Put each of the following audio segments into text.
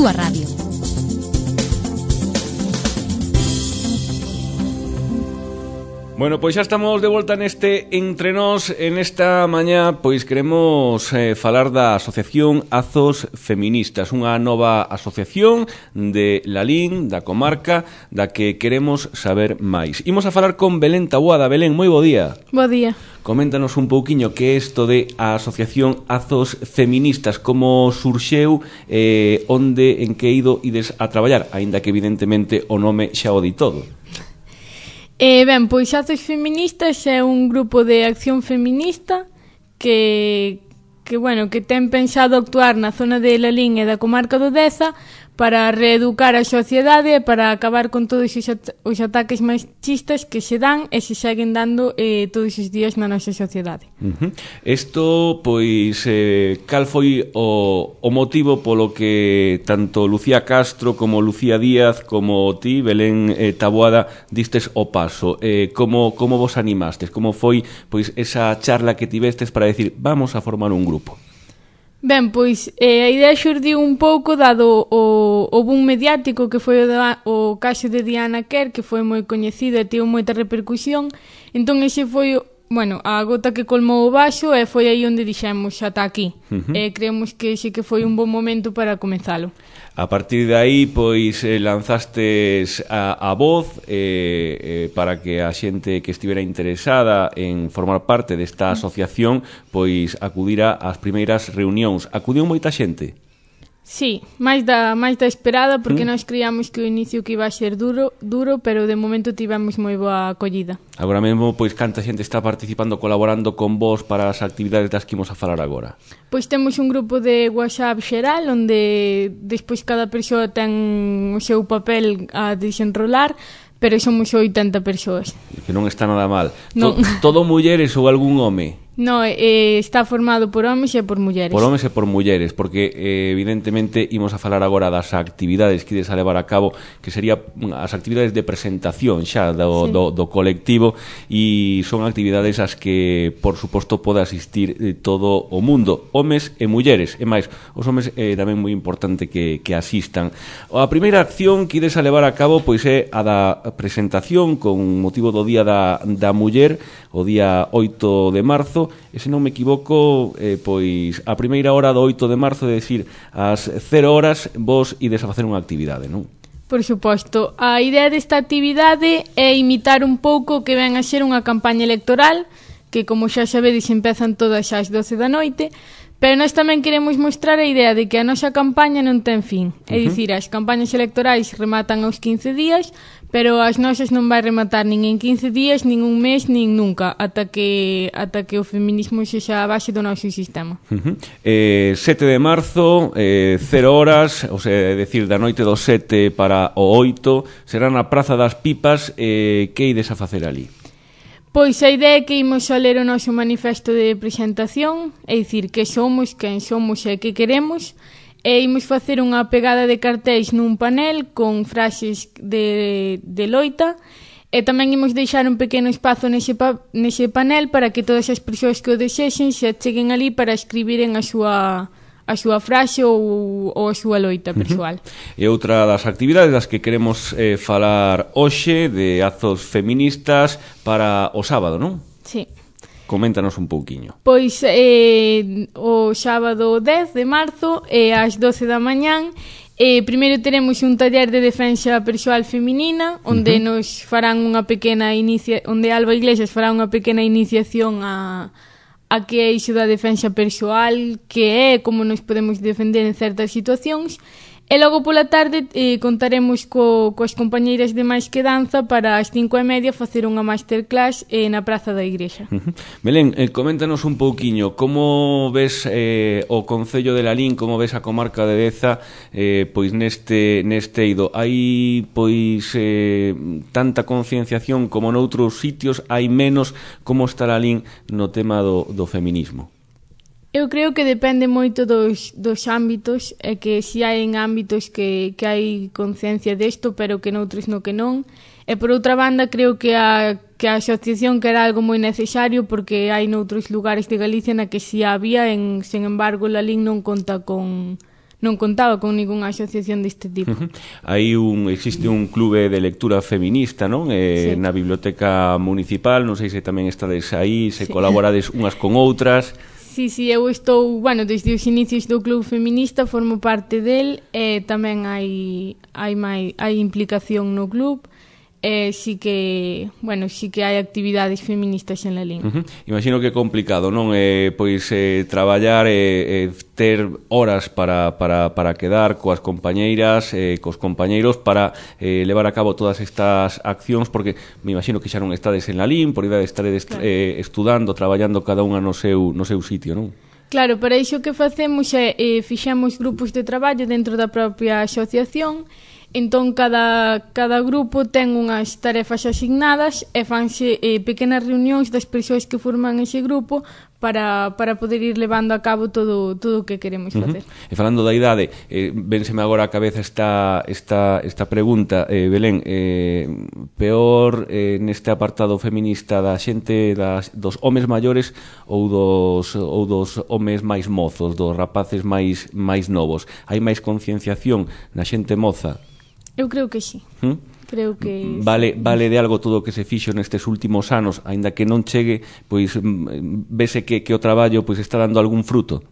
túa radio. Bueno, pois xa estamos de volta neste Entre Nós. En esta mañá, pois queremos falar da Asociación Azos Feministas, unha nova asociación de Lalín, da comarca, da que queremos saber máis. Imos a falar con Belén Taboada. Belén, moi bo día. Bo día. Coméntanos un pouquiño que é isto de a Asociación Azos Feministas, como surxeu, onde, en que ides a traballar, aínda que evidentemente o nome xa o di todo. Ben, pois Azos Feministas é un grupo de acción feminista que ten pensado actuar na zona de Lalín e da comarca do Deza para reeducar a sociedade e para acabar con todos os ataques machistas que se dan e se seguen dando todos os días na nosa sociedade. Isto, pois, cal foi o motivo polo que tanto Lucía Castro como Lucía Díaz como ti, Belén Taboada, distes o paso? Como vos animastes? Como foi, pois, esa charla que tivestes para decir, vamos a formar un grupo? Ben, pois, a idea xurdiu un pouco dado o boom mediático que foi o caso de Diana Kerr, que foi moi coñecido e tivo moita repercusión. Entón, ese foi, a gota que colmou o vaso e foi aí onde dixemos ata aquí. Creemos que ese que foi un bon momento para comenzalo. A partir de aí, pois, lanzastes a voz para que a xente que estivera interesada en formar parte desta asociación, pois, acudira ás primeiras reunións. Acudiu moita xente? Sí, máis da esperada, porque nós creíamos que o inicio que iba a ser duro, pero de momento tivemos moi boa acollida. Agora mesmo, pois, canta xente está participando, colaborando con vos para as actividades das que imos a falar agora? Pois temos un grupo de WhatsApp xeral, onde despois cada persoa ten o seu papel a desenrolar, pero somos 80 persoas. Que non está nada mal. Non. Todo mulleres ou algún home? No, está formado por homes e por mulleres. Por homes e por mulleres, porque evidentemente imos a falar agora das actividades que ides a levar a cabo, que sería as actividades de presentación xa do colectivo, e son actividades as que, por suposto, pode asistir todo o mundo, homes e mulleres, e máis, os homes é tamén moi importante que asistan. A primeira acción que ides a levar a cabo, pois, é a da presentación con motivo do Día da Muller, o día 8 de marzo, e se non me equivoco, pois a primeira hora do 8 de marzo, é dicir, ás 0 horas, vos ides a facer unha actividade, non? Por suposto. A idea desta actividade é imitar un pouco o que ven a ser unha campaña electoral, que, como xa sabedes, empezan todas as 12 da noite, pero nós tamén queremos mostrar a idea de que a nosa campaña non ten fin. É dicir, as campañas electorais rematan aos 15 días, pero as nosas non vai rematar nin en 15 días, nin un mes, nin nunca, ata que o feminismo sexa a base do noso sistema. 7 de marzo, 0 horas, ou sea, é dicir, da noite do 7 para o 8, será na Praza das Pipas. Que ides a facer ali? Pois a idea é que imos a ler o noso manifesto de presentación, é dicir, que somos, quen somos e que queremos, e imos facer unha pegada de cartéis nun panel con frases de loita, e tamén imos deixar un pequeno espazo nese panel para que todas as persoas que o desexen se cheguen ali para escribiren a súa frase ou a súa loita persoal. E outra das actividades das que queremos falar hoxe, de Azos Feministas, para o sábado, non? Sí. Coméntanos un pouquiño. Pois o sábado 10 de marzo ás 12 da mañán primeiro teremos un taller de defensa persoal feminina onde nos farán unha pequena onde Alba Iglesias fará unha pequena iniciación a que é iso da defensa persoal, que é como nos podemos defender en certas situacións. E logo pola tarde contaremos coas compañeiras de Máis que Danza para as 5:30 facer unha masterclass na Praza da Igrexa. Belén, coméntanos un pouquiño como ves o Concello de Lalín, como ves a comarca de Deza, pois neste eido. Hai pois tanta concienciación como noutros sitios, hai menos? Como está Lalín no tema do feminismo? Eu creo que depende moito dos ámbitos, e que si hai en ámbitos que hai conciencia desto, pero que noutros no que non. E por outra banda, creo que a asociación que era algo moi necesario, porque hai noutros lugares de Galicia na que si había, sen embargo, Lalín non conta con non contaba con ningunha asociación deste tipo. Existe un clube de lectura feminista, non? Sí. Na biblioteca municipal, non sei se tamén estades aí, se colaborades unhas con outras. Sí, eu estou, desde os inicios do club feminista formo parte del, e tamén hai implicación no club. Sí que hai actividades feministas en Lalín. Imagino que é complicado, non? Traballar ter horas para quedar coas compañeiras, cos compañeiros para levar a cabo todas estas accións, porque me imagino que xa non estades en Lalín, por idade estaredes estudando, traballando cada unha no seu sitio, non? Claro, para iso que facemos é fixemos grupos de traballo dentro da propia asociación. Entón, cada grupo ten unhas tarefas asignadas e fanse pequenas reunións das persoas que forman ese grupo para poder ir levando a cabo todo o que queremos facer. E falando da idade, vénseme agora a cabeza esta pregunta, Belén, peor neste apartado feminista da xente dos homes maiores ou dos homes máis mozos, dos rapaces máis novos? Hai máis concienciación na xente moza? Eu creo que sí. Creo que vale de algo todo o que se fixo nestes últimos anos, aínda que non chegue, pois vese que o traballo pois está dando algún fruto.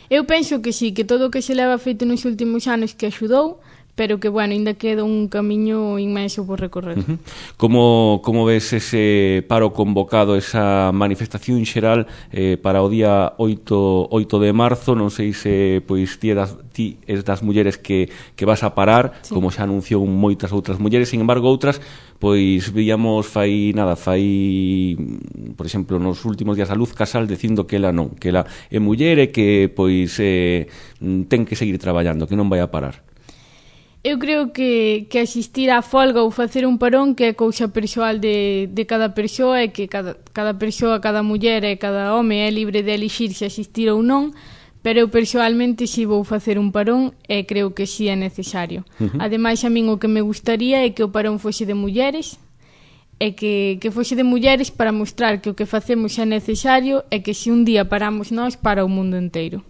Eu penso que sí, que todo o que se leva feito nos últimos anos que axudou, pero que, ainda queda un camiño inmenso por recorrer. Como ves ese paro convocado, esa manifestación xeral para o día 8 de marzo? Non sei se ti és das mulleres que vas a parar, como xa anunciou moitas outras mulleres, sin embargo outras, pois víamos por exemplo, nos últimos días a Luz Casal dicindo que ela non, que ela é muller e que pois ten que seguir traballando, que non vai a parar. Eu creo que asistir á folga ou facer un parón que é cousa persoal de cada persoa, e que cada persoa, cada muller e cada home é libre de elixir se asistir ou non, pero eu persoalmente si vou facer un parón e creo que si é necesario. Ademais, a min o que me gustaría é que o parón fose de mulleres, e que fose de mulleres para mostrar que o que facemos é necesario e que se un día paramos nós, para o mundo inteiro.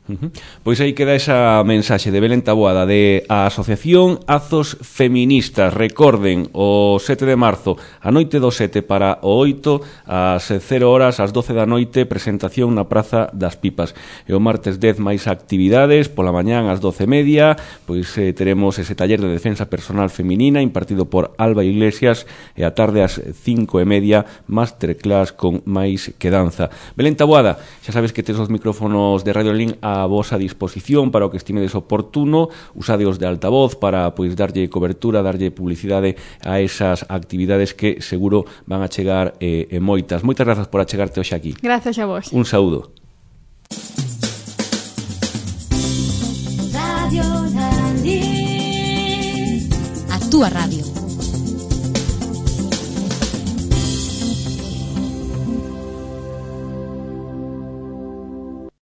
Pois aí queda esa mensaxe de Belén Taboada de a Asociación Azos Feministas. Recorden, o 7 de marzo a noite do 7 para o 8 ás 0 horas, ás 12 da noite, presentación na Praza das Pipas. E o martes 10 máis actividades, pola mañán ás 12:30, pois teremos ese taller de defensa personal feminina impartido por Alba Iglesias, e a tarde ás 5:30, masterclass con máis que danza. Belén Taboada, xa sabes que tes os micrófonos de Radio Link a vosa disposición para o que estimedes oportuno, usadeos de altavoz para pois darlle cobertura, darlle publicidade a esas actividades que seguro van a chegar moitas. Moitas grazas por achegarte hoxe aquí. Grazas a vos. Un saúdo. Radio Link, a túa radio.